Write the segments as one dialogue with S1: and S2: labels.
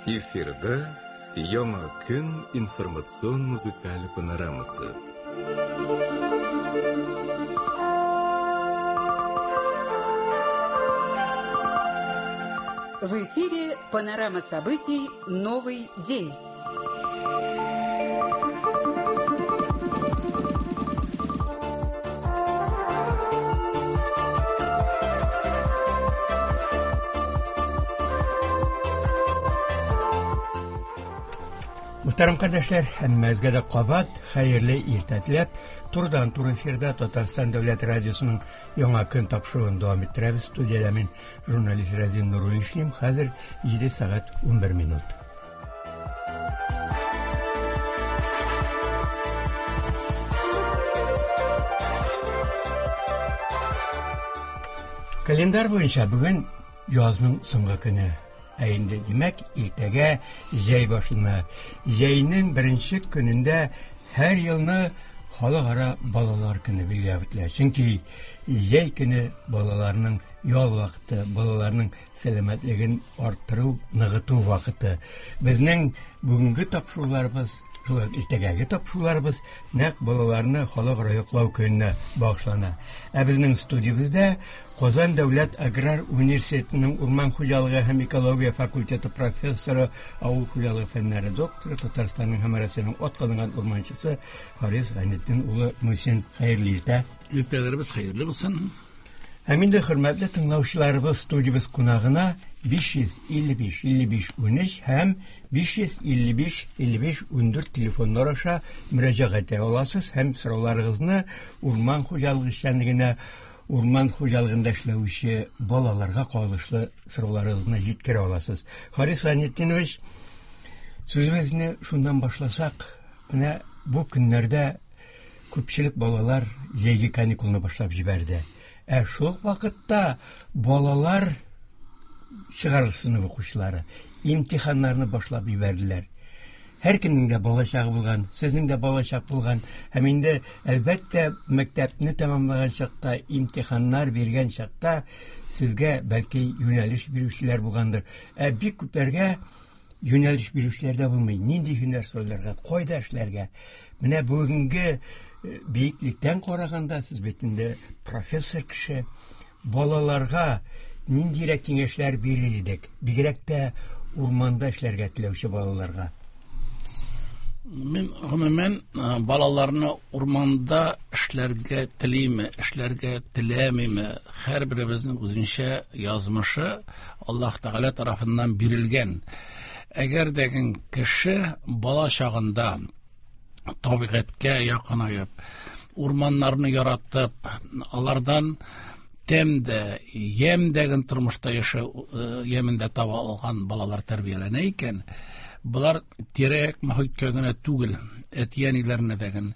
S1: Эфирда Яңа көн информацион музыкаль панорамасы.
S2: В эфире панорама событий «Новый день».
S3: Мөхтәрәм кардәшләр, һәммәгезгә дә кабат хәерле иртә теләп, турыдан-туры эфирда Татарстан дәүләт радиосының Яңа көн тапшыруын дәвам иттерәбез. Студиядә мин журналист Разин Нуруллин эшлим. Хәзер 7 сәгать 11 минут. Календарь буенча бүген язның соңгы көне. Ә инде, димәк, иртәгә җәй башлана. Җәйнең беренче көнендә һәр елны халыкара балалар көне билгеләп үтелә. Чөнки җәй көне балаларның ял вакыты, балаларның сәламәтлеген арттыру, ныгыту вакыты. Безнең бүгенге тапшыруларыбыз, шулай ук иртәгәге тапшыруларыбыз нәкъ балаларны халыкара яклау көненә багышлана. Ә безнең студиябездә Казан дәүләт аграр университетының урман хуҗалыгы һәм экология факультеты профессоры, авыл хуҗалыгы фәннәре докторы, Татарстанның һәм Россиянең атказанган урманчысы Харис Гайнетдин улы Мусин. Хәерле иртә.
S4: Иртәләребез хәерле булсын.
S3: Һәм инде хөрмәтле тыңлаучыларыбыз, студиябез кунагына 555 55 13 һәм 555 55 14 телефоннар аша мөрәҗәгать итә аласыз һәм сорауларыгызны урман хуҗалыгы эшчәнлегенә, урман хуҗалыгында эшләүче балаларга кагылышлы сорауларыгызны җиткерә аласыз. Харис Гайнетдинович, сүзебезне шуннан башласак, менә бу көннәрдә күпчелек балалар җәйге каникулны башлап җибәрде. Ә шул вакытта балалар чыгарылыш сыйныф укучылары имтиханнарны башлап җибәрделәр. Һәркемнең дә балачагы булган, сезнең дә балачак булган. Һәм инде, әлбәттә, мәктәпне тәмамлаган чакта, имтиханнар биргән чакта сезгә бәлки юнәлеш бирүчеләр булгандыр. Ә бик күпләргә юнәлеш бирүчеләр дә булмый. Нинди һөнәр сайларга, кайда эшләргә? Менә бүгенге биеклектән караганда, сез бит инде профессор кеше, балаларга ниндирәк киңәшләр бирер идек? Бигрәк тә урманда эшләргә теләүче балаларга.
S4: Мин гомумән балаларны урманда эшләргә телиме, эшләргә теләмиме, һәрберебезнең үзенчә язмышы Аллаһ Тәгалә тарафыннан бирелгән. Әгәр дә кеше бала чагында табигатькә якынаеп, урманнарны яратып, алардан тәм дә, ямь дә тормышта яшәү ямен дә таба алган балалар тәрбияләнә икән, болар тирә-як мохиткә генә түгел, әти-әниләренә дә,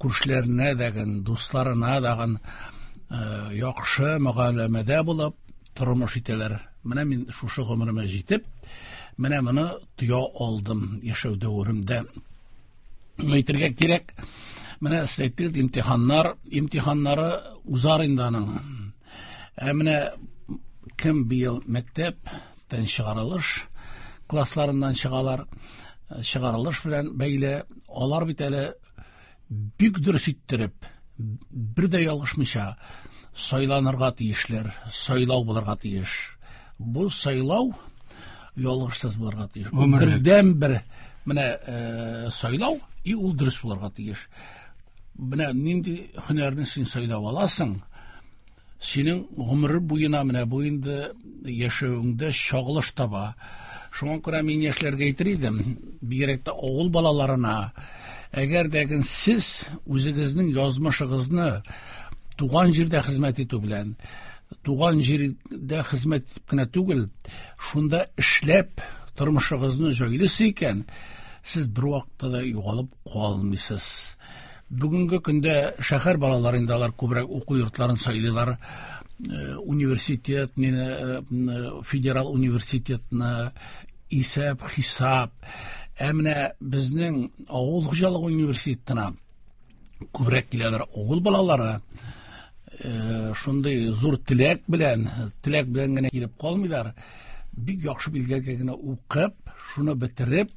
S4: күршеләренә дә, дусларына да яхшы мөгаләмәдә булып тормыш итәләр. Менә мин шушы гомеремә җитеп, менә моны тоя алдым яшәү дәверемдә. Әйтергә кирәк, менә сез әйттегез, имтиханнар, имтиханнары узар инде аның. Ә менә кем быел мәктәптән чыгарылыш классларыннан чыгалар, чыгарылыш белән бәйле, алар бит әле бик дөрес иттереп, бер дә ялгышмыйча сайланырга тиешләр, сайлау булырга тиеш. Бу сайлау ялгышсыз булырга тиеш. Бердән бер менә сайлау, и ул дөрес булырга тиеш. Менә нинди һөнәрне син сайлап аласың, синең гомер буена менә бу инде яшәвеңдә чагылыш таба. Шуңа күрә мин яшьләргә әйтер идем, бигрәк тә авыл балаларына, әгәр дә сез үзегезнең язмышыгызны туган җирдә хезмәт итү белән, туган җирдә хезмәт итеп кенә түгел, шунда эшләп тормышыгызны җайлыйсыз икән, сез бер вакытта да югалып калмыйсыз. Бүгенге көндә шәһәр балалары инде алар күбрәк уку йортларын сайлыйлар. Университет, федерал университетны, исәп, хисап. Ә менә безнең авыл хуҗалыгы университетына күбрәк киләләр авыл балалары. Шундый зур теләк белән, теләк белән генә килеп калмыйлар. Бик яхшы билгеләргә генә укып, шуны бетереп,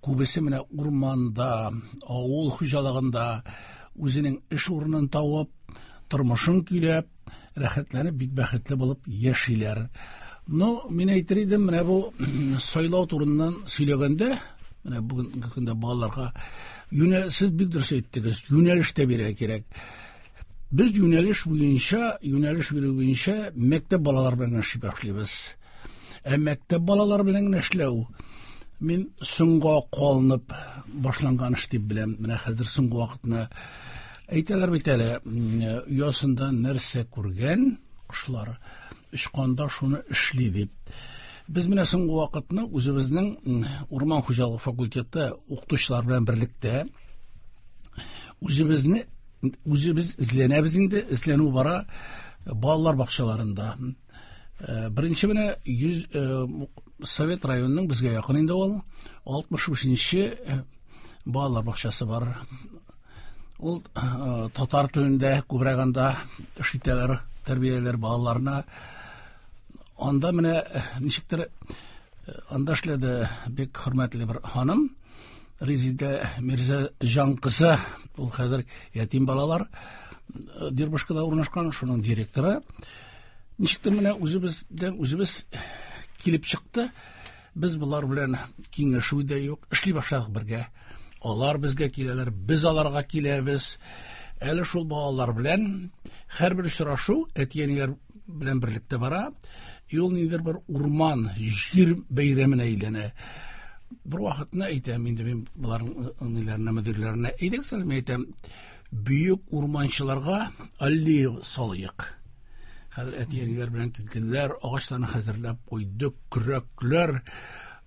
S4: күбесе менә урманда, авыл хуҗалыгында үзенең эш урынын табып, тормышын көйләп, рәхәтләнеп, бик бәхетле булып яшиләр. Но мин әйтер идем, менә бу сайлау турыннан сөйләгәндә, менә бүгенге көндә балаларга юнәл, сез бик дөрес әйттегез, юнәлеш тә бирергә кирәк. Без юнәлеш буенча, юнәлеш бирү буенча мәктәп балалары белән генә эшли башлыйбыз. Ә мәктәп балалары белән генә эшләү мин соңга калынып башланган эш дип беләм. Менә хәзер соңгы вакытны әйтәләр бит әле, оясында нәрсә күргән кошлар очканда шуны эшли дип. Без менә соңгы вакытны үзебезнең урман хуҗалыгы факультеты укытучылар белән берлектә үзебезне үзебез эзләнәбез инде, эзләнү бара балалар бакчаларында. Беренче менә 100 Совет районының безгә якын инде ул 65-нче балалар бакчасы бар. Ул татар телендә күбрәк анда эш итәләр, тәрбияләр балаларны. Анда менә ничектер анда эшләде бик хөрмәтле бер ханым Резидә Мирзаҗан кызы, ул хәзер ятим балалар Дербышкада урнашкан, шуның директоры. Ничектер менә үзебездән үзебез килеп чыкты. Без болар белән киңәшү дә юк, эшли башладык бергә. Алар безгә киләләр, без аларга киләбез. Әле шул балалар белән һәрбер очрашу әти-әниләр белән берлектә бара. И ул ниндидер бер урман, җир бәйрәменә әйләнә. Бер вакытны әйтәм инде мин боларның ниләренә, мөдирләренә, әйдәгез әле, мин әйтәм, бөек урманчыларга аллея салыйк. Хәзер әти-әниләр белән килделәр, агачларны хәзерләп куйдык, көрәкләр.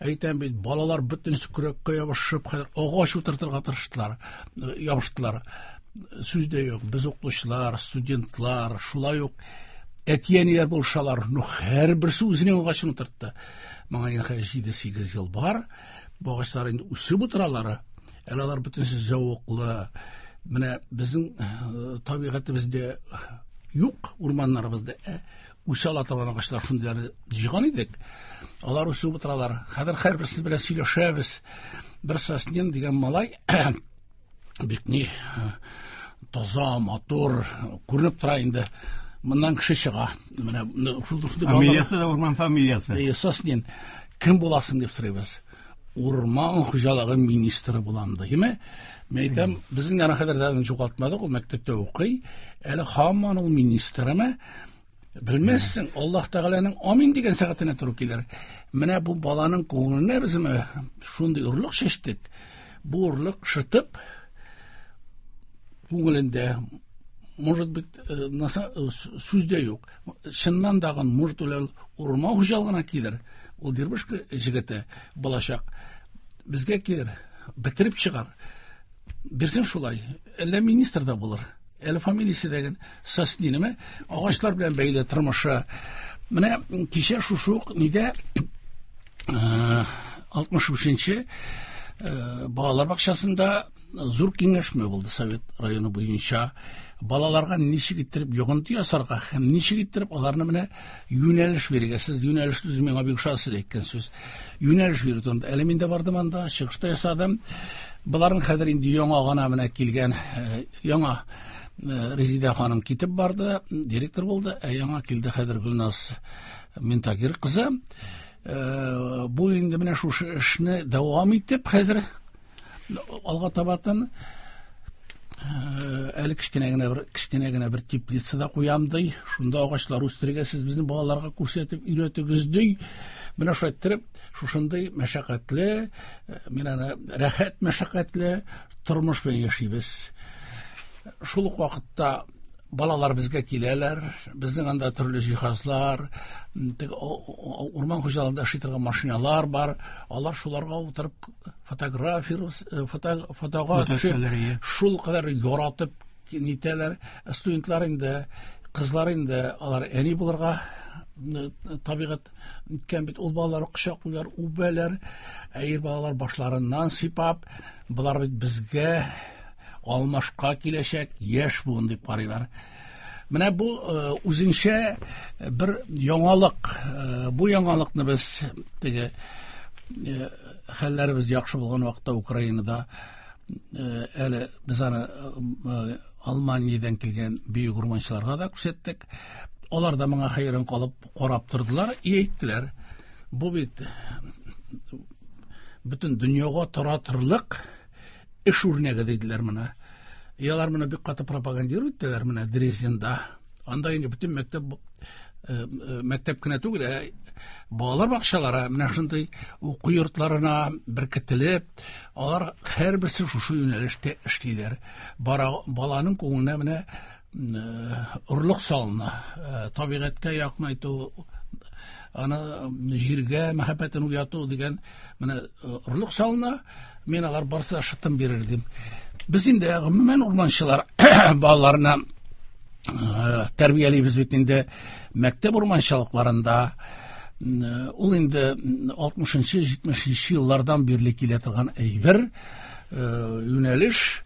S4: Әйтәм бит, балалар бөтенесе көрәккә ябышып, хәзер агач утыртырга тырыштылар, ябыштылар. Сүз дә юк, без укытучылар, студентлар, шулай ук әти-әниләр булышалар. Ну, һәрберсе үзенең агачын утыртты. Моңа инде хәзер 7-8 ел бар. Бу агачлар инде үсеп утыралар. Әле алар бөтенесе зәвыклы. Менә безнең табигатебездә юк, урманнарыбызда үсә ала торган агачлар шундыйларны җыйган идек. Алар үсеп утыралар. Хәзер һәрберсе белән сөйләшәбез. Бер Соснин дигән малай бик ни таза, матур, күренеп тора инде. Моннан кеше чыга. Менә
S3: шул шундый фамилиясе дә урман фамилиясе.
S4: Соснин. Кем буласың дип сорыйбыз. Урман хуҗалыгы министры булам ди, әйме? Мин әйтәм, безнең яна хәзер дә югалтмадык, ул мәктәптә укый. Әле һаман ул министрымы? Белмәссең, Аллаһ Тәгаләнең амин дигән сәгатенә туры килер. Менә бу баланың күңеленә без шундый орлык чәчтек. Бу орлык шытып күңелендә, может быть, сүз дә юк. Чыннан дагын, может, ул урман хуҗалыгына килер. Ул Дербышка җегете булачак. Безгә килер, бетереп чыгар. Бирсен шулай. Әллә министр да булыр. Әле фамилиясе дә Соснинеме? Агачлар белән бәйле тормышы. Менә кичә шушы ук нидә 65-нче балалар бакчасында зур киңәшмә булды Совет районы буенча. Балаларга ничек иттереп йогынты ясарга һәм ничек иттереп аларны менә юнәлеш бирергә. Сез юнәлеш сүзе миңа бик ошады, сез әйткән сүз. Юнәлеш бирү турында. Әле мин дә бардым анда, чыгыш та ясадым. Боларның хәзер инде яңа гына менә килгән, яңа Резидә ханым китеп барды, директор булды, ә яңа килде хәзер Гөлназ Минтагир кызы. Бу инде менә шушы эшне дәвам итеп хәзер алга табатын әле кечкенә генә бер кечкенә генә бер теплица да куям ди. Шунда агачлар үстерергә сез безнең балаларга күрсәтеп өйрәтегез ди. Менә шулай иттереп, шушындый мәшәкатьле, мин аны рәхәт мәшәкатьле тормыш белән яшибез. Шул ук вакытта балалар безгә киләләр, безнең анда төрле җиһазлар, урман хуҗалыгында эшли торган машиналар бар, алар шуларга утырып фотография, фотога төшеп, шул кадәр яратып нитәләр. Студентлар инде, кызлар инде, алар әни булырга табигать иткән бит, ул балалар кочаклыйлар, үбәләр, ә ир балалар башларыннан сыйпап, болар бит безгә алмашка киләчәк яшь буын дип карыйлар. Менә бу үзенчә бер яңалык. Бу яңалыкны без теге хәлләребез яхшы булган вакытта Украинада әле без аны Алманиядән килгән бөек урманчыларга да күрсәттек. Алар да моңа хәйран калып карап тордылар и әйттеләр. Бу бит бөтен дөньяга таратырлык эш үрнәге диделәр моны. И алар моны бик каты пропагандировать иттеләр менә Дрезденда. Анда инде бөтен мәктәп мәктәп кенә түгел, ә балалар бакчалары менә шундый уку йортларына беркетелеп, алар һәрберсе шушы юнәлештә эшлиләр. Бара, баланың күңеленә менә орлык салына, табигатькә якынайту, аны җиргә мәхәббәтен уяту дигән менә орлык салына, мин алар барысы да шытым бирер дим. Без инде гомумән урманчылар балаларына тәрбиялибез бит инде мәктәп урманчылыкларында. Ул инде 60-70 еллардан бирле килә торган әйбер, юнәлеш.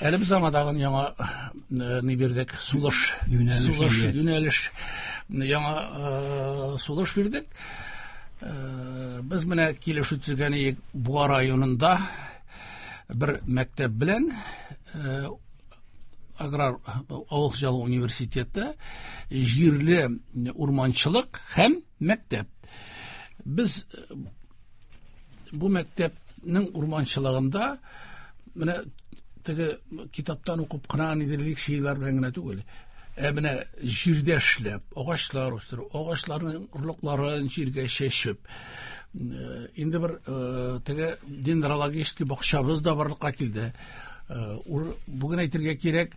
S4: Әле без аңа тагын яңа ни бирдек, сулыш,
S3: юнәлеш,
S4: юнәлеш, яңа сулыш бирдек. Без менә килешү төзегән идек Буа районында бер мәктәп белән, аграр авыл хуҗалыгы университеты, җирле урманчылык һәм мәктәп. Без бу мәктәпнең урманчылыгында менә теге китаптан укып кына нидер лекцияләр белән генә түгел, ә менә җирдә эшләп, агачлар үстерү, агачларның орлыкларын җиргә чәчеп, инде бер теге дендрологический бакчабыз да барлыкка килде. Бүген әйтергә кирәк,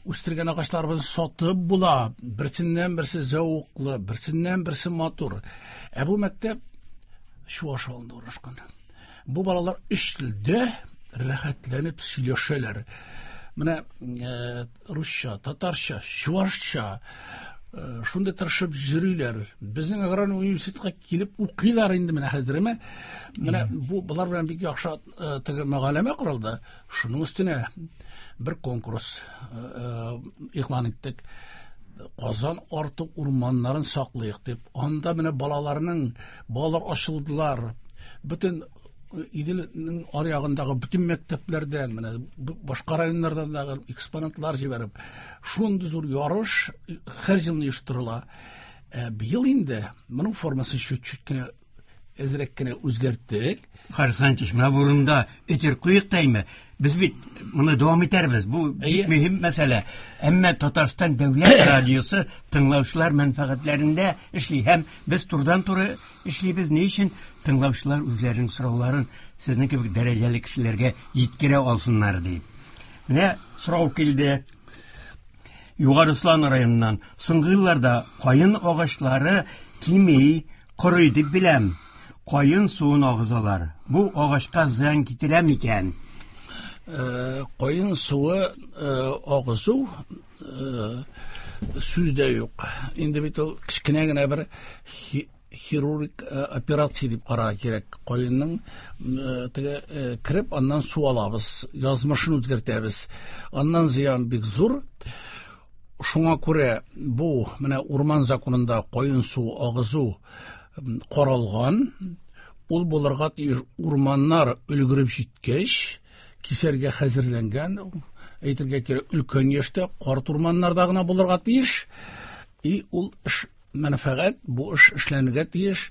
S4: үстергән агачларыбызны сатып була. Берсеннән берсе зәвыклы, берсеннән берсе матур. Ә бу мәктәп Чуаш авылында урнашкан. Бу балалар өч телдә рәхәтләнеп сөйләшәләр. Менә русча, татарча, чуашча шундый тырышып йөриләр. Безнең аграр университетка килеп укыйлар инде менә хәзерме. Менә бу болар белән бик яхшы теге мөгаләмә корылды. Шуның өстенә бер конкурс игълан иттек. Казан арты урманнарын саклыйк дип. Анда менә балаларның, балалар ачылдылар. Бөтен Иделнең аръягындагы бөтен мәктәпләрдән, менә башка районнардан да экспонатлар җибәреп, шундый зур ярыш һәр елны оештырыла. Ә быел инде моның формасын чуть-чуть кенә әзрәк кенә үзгәрттек.
S3: Харис Антич, менә бу урында өтер куек та име? Без бит моны дәвам итәрбез. Бу бик мөһим мәсьәлә. Әмма Татарстан дәүләт радиосы тыңлаучылар мәнфәгатьләрендә эшли һәм без турыдан-туры эшлибез. Ни өчен тыңлаучылар үзләренең сорауларын сезнең кебек дәрәҗәле кешеләргә җиткерә алсыннар дип. Менә сорау килде. Югары Ослан районыннан. Соңгы елларда каен агачлары кими, корый дип беләм. Каен суын агызалар. Бу агачка зыян китерә микән?
S4: Каен суы агызу сүз дә юк. Инде бит ул кечкенә генә бер хирург операция дип карарга кирәк. Каенның теге кереп, аннан су алабыз, язмышын үзгәртәбез. Аннан зыян бик зур. Шуңа күрә бу менә урман законында каен суы агызу каралган. Ул булырга тиеш урманнар өлгереп җиткәч, кисәргә хәзерләнгән, әйтергә кирәк, өлкән яшьтә карт урманнарда гына булырга тиеш. И ул эш мәнфәгать, бу эш эшләнергә тиеш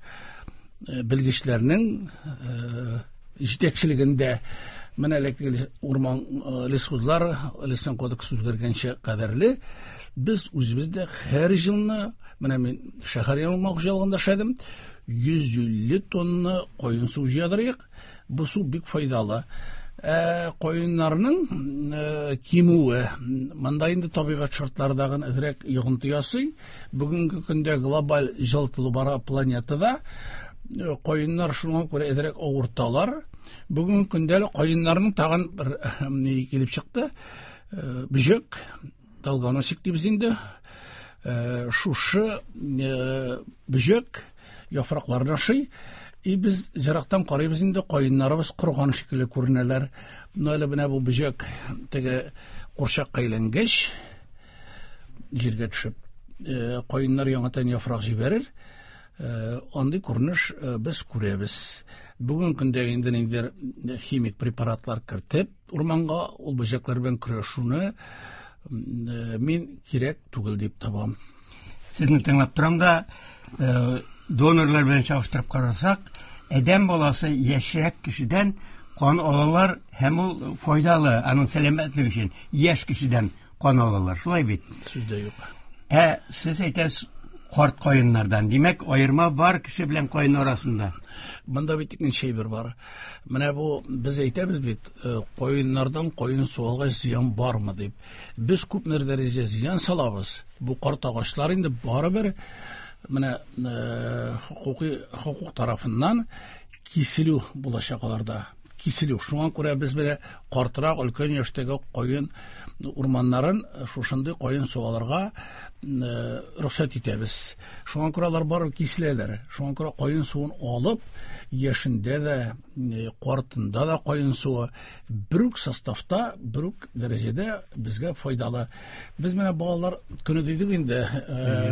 S4: белгечләрнең җитәкчелегендә. Менә элекке урман лесхозлар, лесной кодекс үзгәргәнчә кадәрле, без үзебез дә һәр елны, менә мин шәһәр урман хуҗалыгында эшләдем, 150 тонна каен суы җыядырыйк. Бу су бик файдалы. Каеннарның кимүе, монда инде табигать шартлары дагын әзрәк йогынты ясый. Бүгенге көндә глобаль җылытылу бара планетада. Каеннар шуңа күрә әзрәк авырталар. Бүгенге көндә әле каеннарның тагын бер ни килеп чыкты. Бөҗәк, долгоносик дибез инде. Шушы бөҗәк яфракларын ашый. И без ерактан карыйбыз инде, каеннарыбыз корган шикелле күренәләр. Менә әле менә бу бөҗәк теге курчакка әйләнгәч, Җиргә төшеп, каеннар яңадан яфрак җибәрер. Андый күренеш без күрәбез. Бүгенге көндә инде ниндидер химик препаратлар кертеп, урманга ул бөҗәкләр белән көрәшүне мин кирәк түгел дип табам.
S3: Сезне тыңлап торам да, донорлар белән чагыштырып карасак, адәм баласы яшьрәк кешедән кан алалар һәм ул файдалы аның сәламәтлеге өчен. Яшь кешедән кан алалар, шулай бит?
S4: Сүз дә юк.
S3: Ә сез әйтәсез карт каеннардан. Димәк, аерма бар кеше белән каен арасында.
S4: Монда бит икенче әйбер бар. Менә бу без әйтәбез бит, каеннардан каен суы алгач зыян бармы дип. Без күпмедер дәрәҗәдә зыян салабыз. Бу карт агачлар инде барыбер менә хокукый хокук тарафыннан киселү булачак аларда. Киселү. Шуңа күрә без менә картрак өлкән яшьтәге каен урманнарын шушындый каен суы алырга рөхсәт итәбез. Шуңа күрә алар барыбер киселәләр. Шуңа күрә каен суын алып, яшендә дә, картында да каен суы бер үк составта, бер үк дәрәҗәдә безгә файдалы. Без менә балалар көне дидек инде,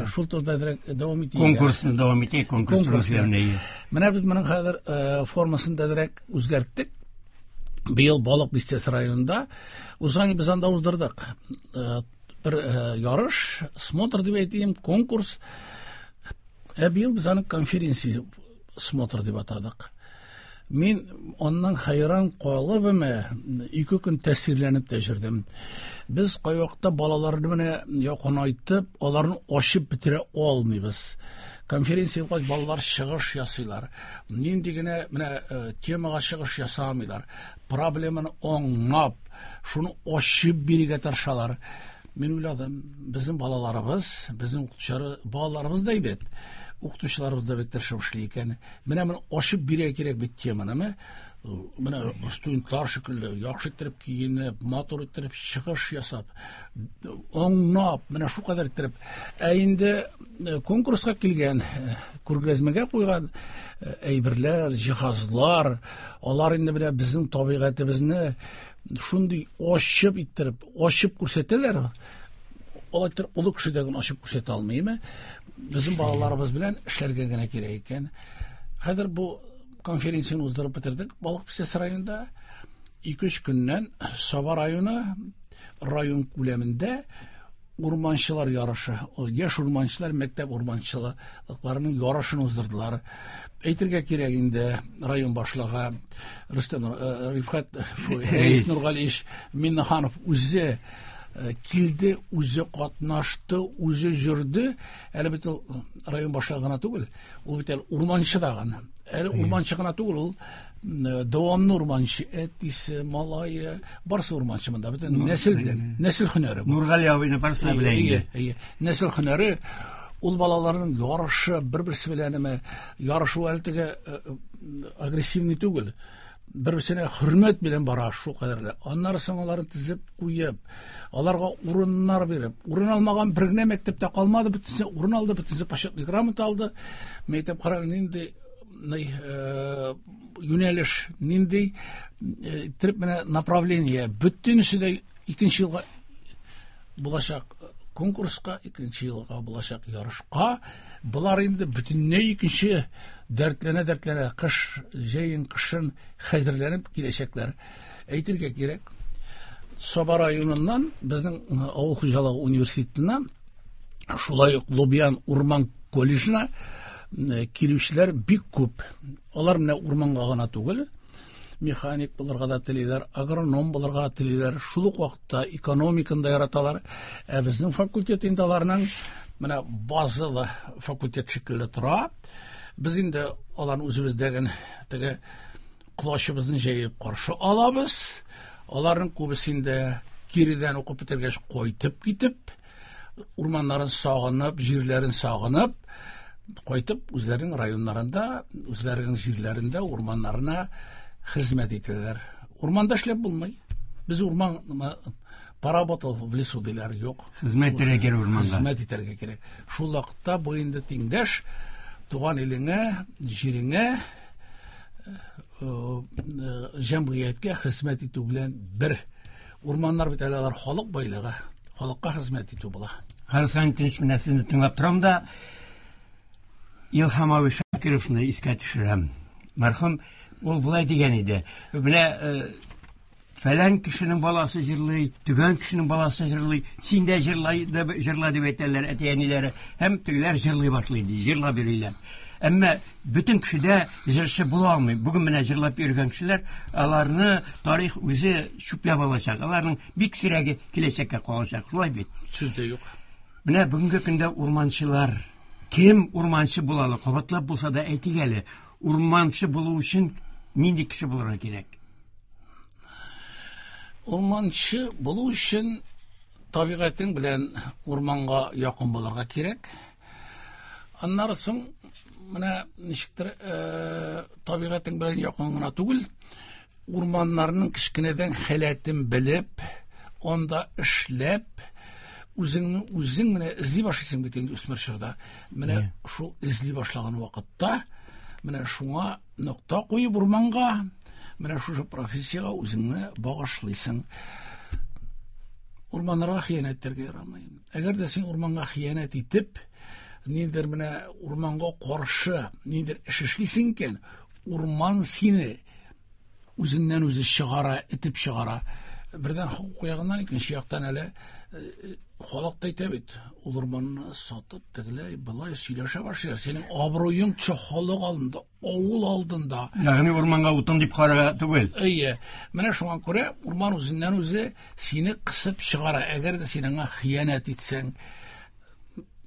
S4: шул турыда әзрәк дәвам итик.
S3: Конкурсны дәвам итик, конкурс турында.
S4: Менә без моның хәзер формасын да әзрәк үзгәрттек. Быел Балык Бистәсе районында узган без анда уздырдык. Бер ярыш, смотр дип әйтим, конкурс. Ә быел без аны конференция смотр дип атадык. Мин аннан хайран калып, 2 көн тәэсирләнеп тә йөрдем. Без кайвакытта балаларны менә якынайтып, аларны ачып бетерә алмыйбыз. Конференция булгач, балалар чыгыш ясыйлар. Нинди генә менә темага чыгыш ясамыйлар. Проблеманы аңлап, шуны ачып бирергә тырышалар. Мин уйладым, безнең балаларыбыз, безнең укытучылар, балаларыбыз да әйбәт, укытучыларыбыз да бик тырышып эшли икән. Менә моны ачып бирергә кирәк бит теманы. Менә студентлар шикелле яхшы иттереп киенеп, матур иттереп чыгыш ясап, аңлап, менә шул кадәр иттереп. Ә инде конкурска килгән, күргәзмәгә куйган әйберләр, җиһазлар, алар инде менә безнең табигатебезне шундый ачып иттереп, ачып күрсәтәләр. Алай иттереп олы кеше дә генә ачып күрсәтә алмыймы? Безнең балаларыбыз белән эшләргә генә кирәк икән. Хәзер бу конференцияне уздырып бетердек Балык Бистәсе районында. 2-3 көннән Саба районы район күләмендә урманчылар ярышы, яшь урманчылар мәктәп урманчылыкларының ярышын уздырдылар. Әйтергә кирәк инде, район башлыгы Рөстәм Рифкать Рәис Нургалиевич Миннеханов үзе килде, үзе катнашты, үзе йөрде. Әле бит ул район башлыгы гына түгел, ул бит әле урманчы да гына. Әле урманчы гына түгел, ул дәвамлы урманчы, әтисе, малае, барысы урманчы монда. Бөтен нәсел белән, нәсел һөнәре бу.
S3: Нургали абыйны барысы да белә инде.
S4: Әйе, нәсел һөнәре. Ул балаларның ярышы бер-берсе белән әмма ярышу әле теге агрессивный түгел. Бер-берсенә хөрмәт белән бара шул кадәрле. Аннары соң аларны тезеп куеп, аларга урыннар биреп, урын алмаган бер генә мәктәптә калмады, бөтенесе урын алды, бөтенесе почетный грамота алды. Мәктәп караган нинди юнәлеш, нинди иттереп менә направление, бөтенесе дә икенче елга булачак конкурска, икенче елга булачак ярышка. Болар инде бөтенләй икенче дәртләнә-дәртләнә кыш, җәен, кышын хәзерләнеп киләчәкләр. Әйтергә кирәк, Саба районыннан безнең авыл хуҗалыгы университетына, шулай ук Лубян урман колледжына килүчеләр бик күп. Алар менә урманга гына түгел, механик булырга да телиләр, агроном булырга телиләр, шул ук вакытта экономиканы да яраталар. Ә безнең факультет инде аларның менә базалы факультет шикелле тора. Без инде аларны үзебездәген теге колачыбызны җәеп каршы алабыз. Аларның күбесе инде киредән укып бетергәч кайтып китеп, урманнарын сагынып, җирләрен сагынып, кайтып үзләренең районнарында, үзләренең җирләрендә, урманнарына хезмәт итәләр. Урманда эшләп булмый. Без урман поработал в лесу диләр, юк.
S3: Хезмәт итәргә кирәк урманда.
S4: Хезмәт итәргә кирәк. Шул вакытта бу инде тиңдәш туган илеңә, җиреңә, җәмгыятькә хезмәт итү белән бер. Урманнар бит әле алар халык байлыгы, халыкка хезмәт итү була.
S3: Харис Ханитович, менә сезне тыңлап торам да, Илһам абый Шакировны искә төшерәм. Мәрхүм ул болай дигән иде. Менә фәлән кешенең баласы җырлый, төгән кешенең баласы җырлый, син дә җырлай, җырла дип әйтәләр әти-әниләре. Һәм тегеләр җырлый башлый, ди, җырлап йөриләр. Әмма бөтен кеше дә җырчы була алмый. Бүген менә җырлап йөргән кешеләр, аларны тарих үзе чүпләп алачак. Аларның бик сирәге киләчәккә калачак. Шулай бит?
S4: Сүз дә юк.
S3: Менә бүгенге көндә урманчылар кем урманчы була ала? Кабатлап булса да әйтик әле. Урманчы булу өчен нинди кеше булырга кирәк?
S4: Урманчы булу өчен табигатең белән урманга якын булырга кирәк. Аннары соң менә ничектер табигатең белән якын гына түгел, урманнарның кечкенәдән халәтен белеп, анда эшләп, үзеңне үзең менә эзли башлыйсың бит инде үсмер чорда. Менә шул эзли башлаган вакытта, менә шуңа нокта куеп урманга, менә шушы профессиягә үзеңне багышлыйсың. Урманнарга хыянәт итәргә ярамый. Әгәр дә син урманга хыянәт итеп, ниндидер менә урманга каршы ниндидер эш эшлисең икән, урман сине үзеннән үзе чыгара, этеп чыгара. Бердән хокук ягыннан, икенче яктан әле халык та әйтә бит, ул урманны сатып, тегеләй, былай сөйләшә башлыйлар. Синең абруең төшә халык алдында, авыл алдында.
S3: Ягъни урманга утын дип карарга түгел.
S4: Әйе. Менә шуңа күрә урман үзеннән үзе сине кысып чыгара. Әгәр дә син аңа хыянәт итсәң,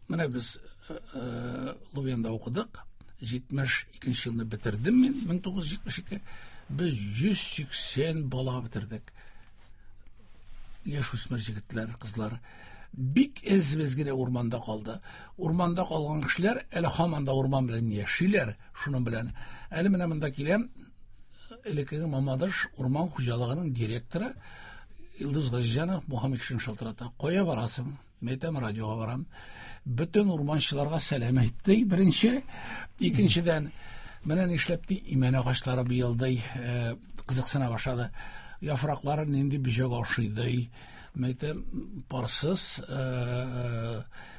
S4: менә без Лубянда укыдык. 72 елны бетердем мин, 1972. Без 180 бала бетердек. Яшь үсмер егетләр, кызлар. Бик әз без генә урманда калды. Урманда калган кешеләр әле һаман да урман белән яшиләр, шуның белән. Әле менә монда киләм, элеккеге Мамадыш урман хуҗалыгының директоры Илдус Газизҗанов Мухаммедшин шалтырата. Кая барасың? Мин әйтәм, радиога барам. Бөтен урманчыларга сәлам әйтте, беренче. Икенчедән, менә нишләп ди, имән агачлары быел ди, кызыксына башлады. Яфраклары нинди бөҗәк ашый ди. Мин әйтәм, парсыз,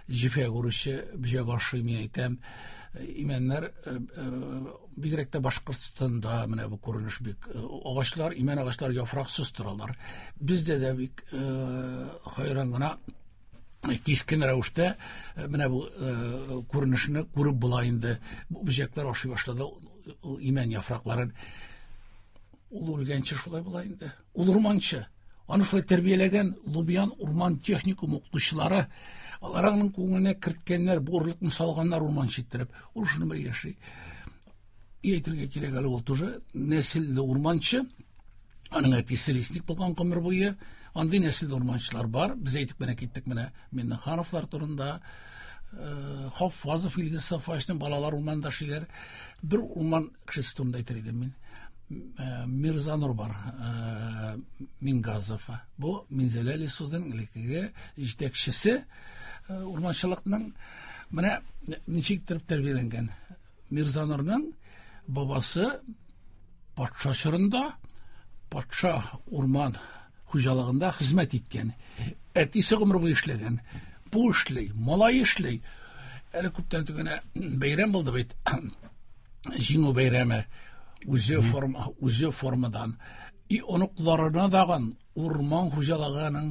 S4: җифә күрүче бөҗәк ашый, мин әйтәм. Имәннәр, бигрәк тә Башкортстанда менә бу күренеш бик, агачлар, имән агачлар яфраксыз торалар. Бездә дә бик хайран гына кискен рәвештә менә бу күренешне күреп була инде. Бу бөҗәкләр ашый башлады ул имән яфракларын. Ул үлгәнче шулай була инде. Ул урманчы. Аны шулай тәрбияләгән Лубян урман техникум укытучылары, алар аның күңеленә керткәннәр, бу орлыкны салганнар урманчы иттереп. Ул шуны белән яши. И әйтергә кирәк әле, ул тоже нәселле урманчы. Аның әтисе лесник булган гомер буе. Андый нәселле урманчылар бар. Без әйтеп кенә киттек менә Миннехановлар турында. Хаффазов Илгиз Сафаевичның балалар урманда эшлиләр. Бер урман кешесе турында әйтер идем мин. Мирзанур бар, Мингазов. Бу Минзәлә лесхозының элеккеге җитәкчесе, урманчылыкның. Менә ничек итеп тәрбияләнгән. Мирзанурның бабасы патша чорында патша урман хуҗалыгында хезмәт иткән. Әтисе гомер буе эшләгән. Бу эшли, малай эшли. Әле күптән түгел генә бәйрәм булды бит. Җиңү бәйрәме. Үзе форма, үзе формадан. И оныкларына дагын урман хуҗалыгының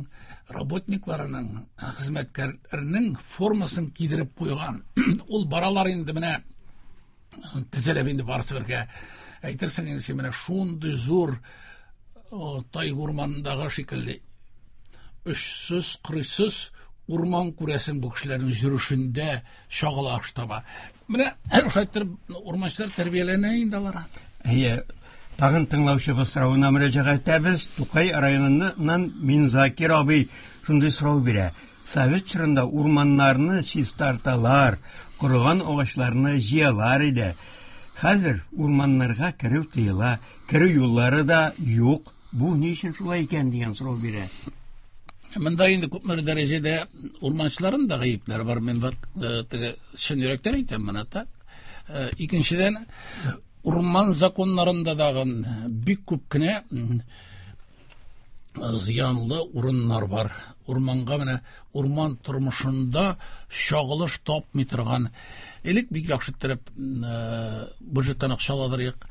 S4: работникларының, хезмәткәрләренең формасын кидереп куйган. Ул баралар инде менә тезелеп инде барысы бергә. Әйтерсең инде син менә шундый зур тайга урманындагы шикелле очсыз, кырыйсыз урман күрәсең бу кешеләрнең йөрүшендә чагыла таба. Менә шулай итеп урманчылар тәрбияләнә инде алар.
S3: Әйе, тагын тыңлаучыбыз соравына мөрәҗәгать итәбез. Тукай районыннан Минзакир абый шундый сорау бирә. Совет чорында урманнарны чистарталар, корыган агачларны җыялар иде. Хәзер урманнарга керү тыела, керү юллары да юк. Бу ни өчен шулай икән дигән сорау бирә.
S4: Монда инде күпмедер дәрәҗәдә урманчыларның да гаепләре бар. Мин вот теге чын йөрәктән әйтәм моны, так. Икенчедән, урман законнарында дагы бик күп кенә Зыянлы урыннар бар. Урманга менә урман тормышында чагылыш тапмый торган. Элек бик яхшы иттереп бюджеттан акча аладырык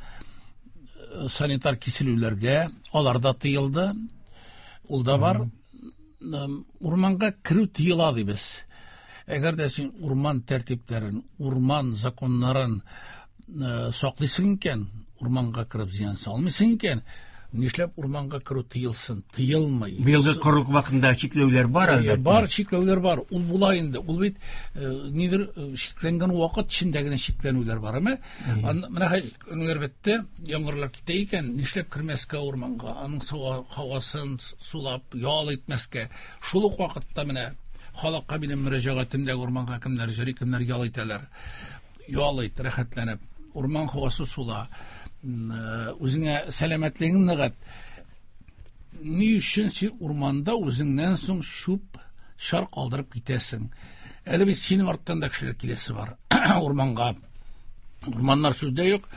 S4: санитар киселүләргә, алар да тыелды. Ул да бар. Урманга керү тыела дибез. Әгәр дә син урман тәртипләрен, урман законнарын саклыйсың икән, урманга кереп зыян салмыйсың икән, нишләп урманга керү тыелсын? Тыелмый.
S3: Быелгы корылык вакытында чикләүләр бар, әлбәттә.
S4: Бар, чикләүләр бар. Ул була инде. Ул бит нидер чикләнгән вакыт эчендә генә чикләнүләр бар, әмма менә чикләнүләр бетте, яңгырлар китә икән, нишләп кермәскә урманга, аның һавасын сулап, ял итмәскә. Шул ук вакытта менә халыкка минем мөрәҗәгатем дә урманга кемнәр йөри, кемнәр ял итәләр. Ял ит, рәхәтләнеп. Урман һавасы сула. Үзеңә сәламәтлегең ныгыт. Ни өчен син урманда үзеңнән соң чүп шар калдырып китәсең? Әле бит синең арттан да кешеләр киләсе бар урманга. Урманнар сүздә юк,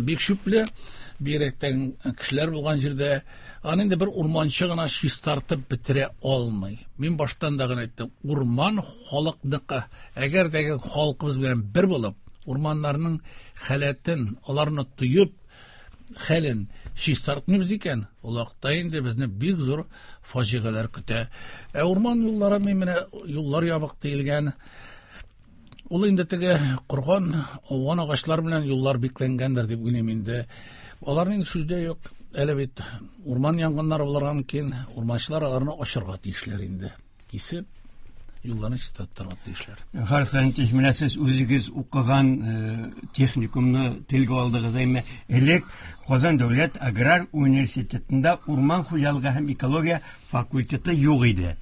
S4: бик чүпле, бигрәк тә кешеләр булган җирдә. Аны инде бер урманчы гына чистартып бетерә алмый. Мин баштан да гына әйттем, урман халыкныкы. Әгәр дә халкыбыз белән бер булып, урманнарның халәтен, аларны тоеп, хәлен чистартмыйбыз икән, ул вакытта инде безне бик зур фаҗигаләр көтә. Ә урман юллары, мин менә юллар ябык диелгән. Ул инде теге корган, ауган агачлар белән юллар бикләнгәндер дип уйлыйм инде. Аларның инде сүздә юк. Әле бит урман янгыннары булырга мөмкин. Урманчылар аларны ачырга тиешләр инде. Кисеп, юлларны чистартырга тиешләр.
S3: Харис Леонтьевич, менә сез үзегез укыган техникумны телгә алдыгыз, әмма элек Казан дәүләт аграр университетында урман хуҗалыгы һәм экология факультеты юк иде.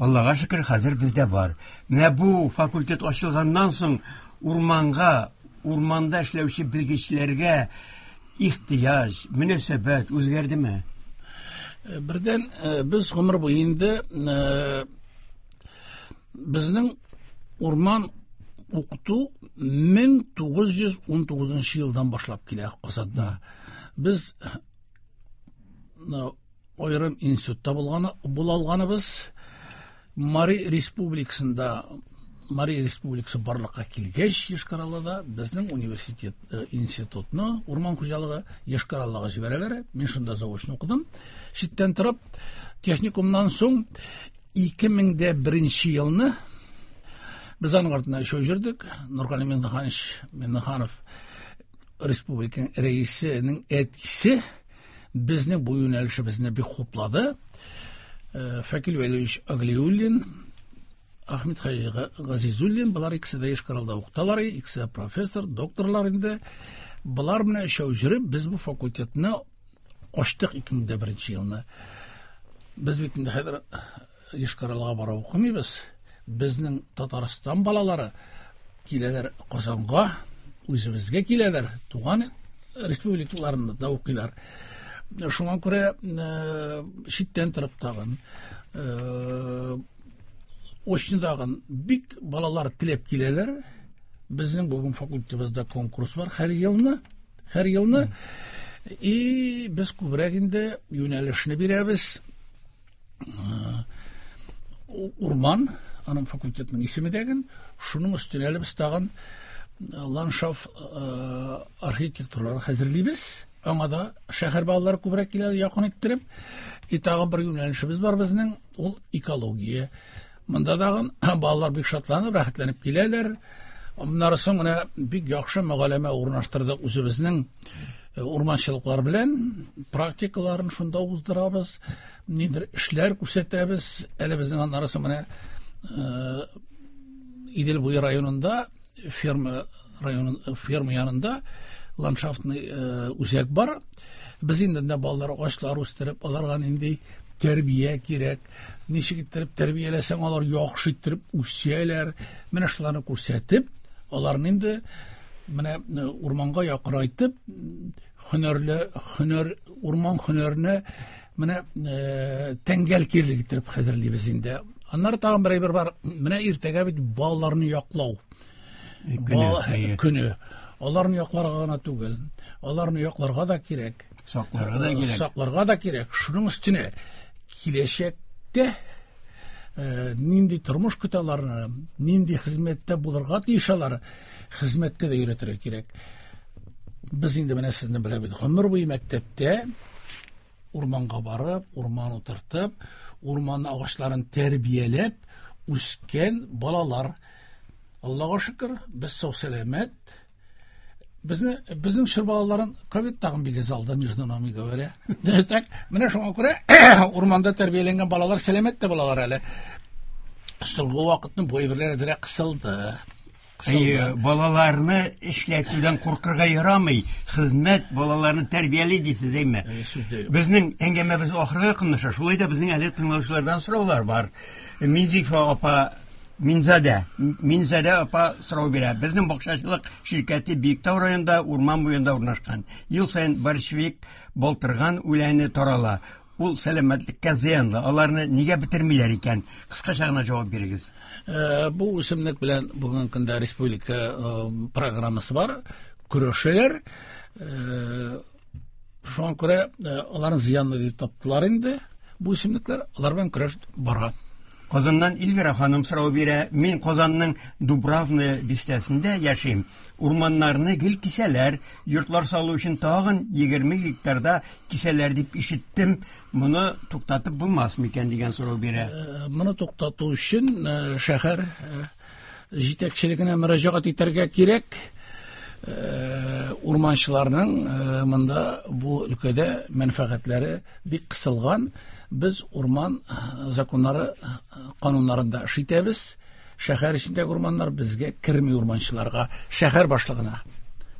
S3: Аллага шөкер, хәзер бездә бар. Менә бу факультет ачылганнан соң урманга, урманда эшләүче белгечләргә ихтыяҗ, мөнәсәбәт үзгәрдеме?
S4: Бердән, без гомер буе инде безнең урман укыту 1919 елдан башлап килә Казанда. Без аерым институтта булган була алганыбыз. Мари Республикасында, Мари Республикасы барлыкка килгәч, Йошкар-Олада безнең университет, институтны урман хуҗалыгы Йошкар-Олага җибәрәләр. Мин шунда заочно укыдым. Читтән торып, техникумнан соң 2001 елны без аның артыннан өчәү йөрдек. Нургали Миңнеханович Миңнеханов республиканың рәисенең әтисе безнең бу юнәлешебезне бик хуплады. Фәкил Вәлиевич Аглиуллин, Ахмед Хаҗи Газизуллин, болар икесе дә Йошкар-Олада укыталар, икесе дә профессор, докторлар инде. Болар менә өчәү йөреп, без бу факультетны ачтык 2001 елны. Без бит инде хәзер Йошкар-Олага барып укымыйбыз. Безнең Татарстан балалары киләләр Казанга, үзебезгә киләләр, туган республикаларында да укыйлар. Шуңа күрә читтән торып тагын, очныдагын бик балалар теләп киләләр. Безнең бүген факультетыбызда конкурс бар һәр елны, һәр елны. И без күбрәк инде юнәлешне бирәбез. Урман, аның факультетының исеме дәген, шуның өстенә әле без тагын ландшафт архитектуралар хәзерлибез. Аңа да шәһәр балалары күбрәк килә, якын иттереп. И тагын бер юнәлешебез бар безнең, ул экология. Монда тагын балалар бик шатланып, рәхәтләнеп киләләр. Аннары соң менә бик яхшы мөгаләмә урнаштырдык үзебезнең урманчылыклар белән, практикаларын шунда уздырабыз, нидер эшләр күрсәтәбез. Әле безнең аннары соң менә Идел буе районында ферма районы, ферма янында ландшафтный үзәк бар. Без инде менә балалар агачлар үстереп, аларга нинди тәрбия кирәк, ничек иттереп тәрбияләсәң, алар яхшы иттереп үсәләр. Менә шуларны күрсәтеп, аларны инде менә урманга якынайтып, һөнәрле, һөнәр, урман һөнәренә менә тәңгәл кирлек иттереп хәзерлибез инде. Аннары тагын бер әйбер бар. Менә иртәгә бит балаларны яклау көне. Аларны якларга гына түгел, аларны якларга да кирәк.
S3: Сакларга да кирәк.
S4: Сакларга да кирәк. Шуның өстенә Киләчәктә нинди тормыш көтә аларны, нинди хезмәттә булырга тиеш алар, хезмәткә дә өйрәтергә кирәк. Без инде менә сезне беләбез, гомер буе мәктәптә урманга барып, урман утыртып, урман агачларын тәрбияләп үскән балалар. Аллага шөкер, без сау-сәламәт. Безне безнең чор балаларын ковид тагын бик алды, между нами говоря. Так, менә шуңа күрә урманда тәрбияләнгән балалар сәламәт тә балалар әле. Соңгы вакытны бу әйберләр әзрәк кысылды.
S3: Әйе, балаларны эшләтүдән куркырга ярамый. Хезмәт балаларны тәрбияли дисез, әйме? Безнең әңгәмәбез ахырга якынлаша. Шулай да безнең әле тыңлаучылардан сораулар бар. Минзифа апа Минзадә, Минзадә апа сорау бирә. Безнең бакчачылык ширкәте Биектау районында урман буенда урнашкан. Ел саен борщевик, балтырган үләне тарала. Ул сәламәтлеккә зыянлы. Аларны нигә бетермиләр икән? Кыскача гына җавап бирегез.
S4: Бу үсемлек белән бүгенге көндә республика программасы бар. Көрәшәләр. Шуңа күрә аларны зыянлы дип таптылар инде. Бу үсемлекләр, алар белән көрәш бара.
S3: Казаннан Эльвира ханым сорау бирә. Мин Казанның Дубравная бистәсендә яшим. Урманнарны гел кисәләр. Йортлар салу өчен тагын 20 гектарда кисәләр дип ишеттем. Моны туктатып булмас микән дигән сорау бирә.
S4: Моны туктату өчен шәһәр җитәкчелегенә мөрәҗәгать итәргә кирәк. Урманчыларның монда бу өлкәдә мәнфәгатьләре бик кысылган. Без урман законнары, кануннарында эш итәбез. Шәһәр эчендәге урманнар безгә керми урманчыларга, шәһәр башлыгына,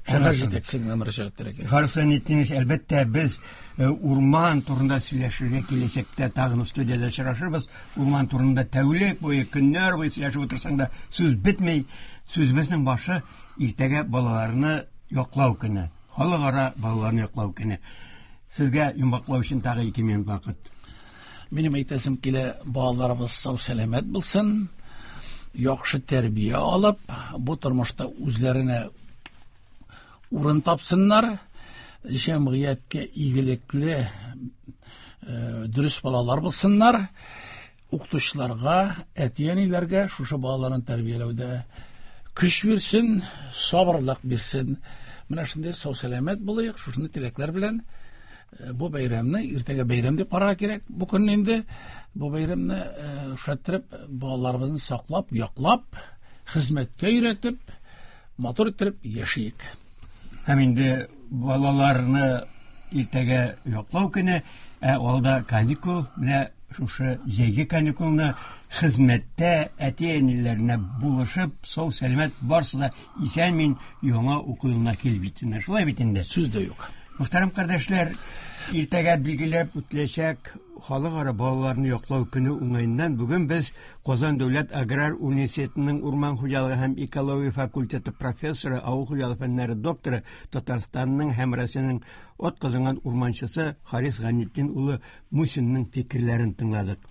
S4: шәһәр җитәкчелегенә мөрәҗәгать итәргә кирәк.
S3: Харис Гайнетдинович, әлбәттә, без урман турында сөйләшергә киләчәктә тагын студиядә очрашырбыз. Урман турында тәүлек буе, көннәр буе сөйләшеп утырсаң да сүз бетми. Сүзебезнең башы иртәгә балаларны яклау көне. Халыкара балаларны яклау көне. Сезгә йомгаклау өчен тагы 2 минут вакыт.
S4: Минем әйтәсем килә, балаларыбыз сау-сәламәт булсын, яхшы тәрбия алып, бу тормышта үзләренә урын тапсыннар, җәмгыятькә игелекле, дөрес балалар булсыннар. Укытучыларга, әти-әниләргә шушы балаларын тәрбияләүдә көч бирсен, сабырлык бирсен. Менә шундый сау-сәламәт булыйк, шушындый теләкләр белән бу бәйрәмне иртәгә бәйрәм дип карарга кирәк. Бу көнне инде бу бәйрәмне шәттереп, балаларыбызны саклап, яклап, хезмәткә өйрәтеп, матур иттереп яшиек.
S3: Һәм инде балаларны иртәгә яклау көне, ә алда каникул, менә шушы җәйге каникулны хезмәттә әти-әниләренә булышып, сау-сәламәт барсы да исән-мин яңа уку елына килеп җитсеннәр. Шулай бит инде?
S4: Сүз дә юк.
S3: Мөхтәрәм кардәшләр, иртәгә билгеләп үтеләчәк Халыкара балаларны яклау көне уңаеннан бүген без Казан дәүләт аграр университетының урман хуҗалыгы һәм экология факультеты профессоры, авыл хуҗалыгы фәннәре докторы, Татарстанның һәм Россиянең атказанган урманчысы Харис Гайнетдин улы Мусинның фикерләрен тыңладык.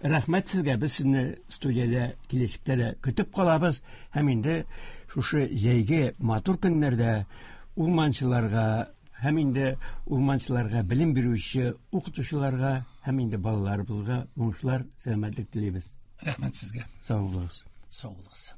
S3: Рәхмәт сезгә, без сезне студиядә киләчәктә дә көтеп калабыз һәм инде шушы җәйге матур көннәрдә урманчыларга һәм инде урманчыларга белем бирүче укытучыларга һәм инде балаларыбызга уңышлар, сәламәтлек телибез.
S4: Рәхмәт сезгә.
S3: Сау булыгыз.
S4: Сау булыгыз.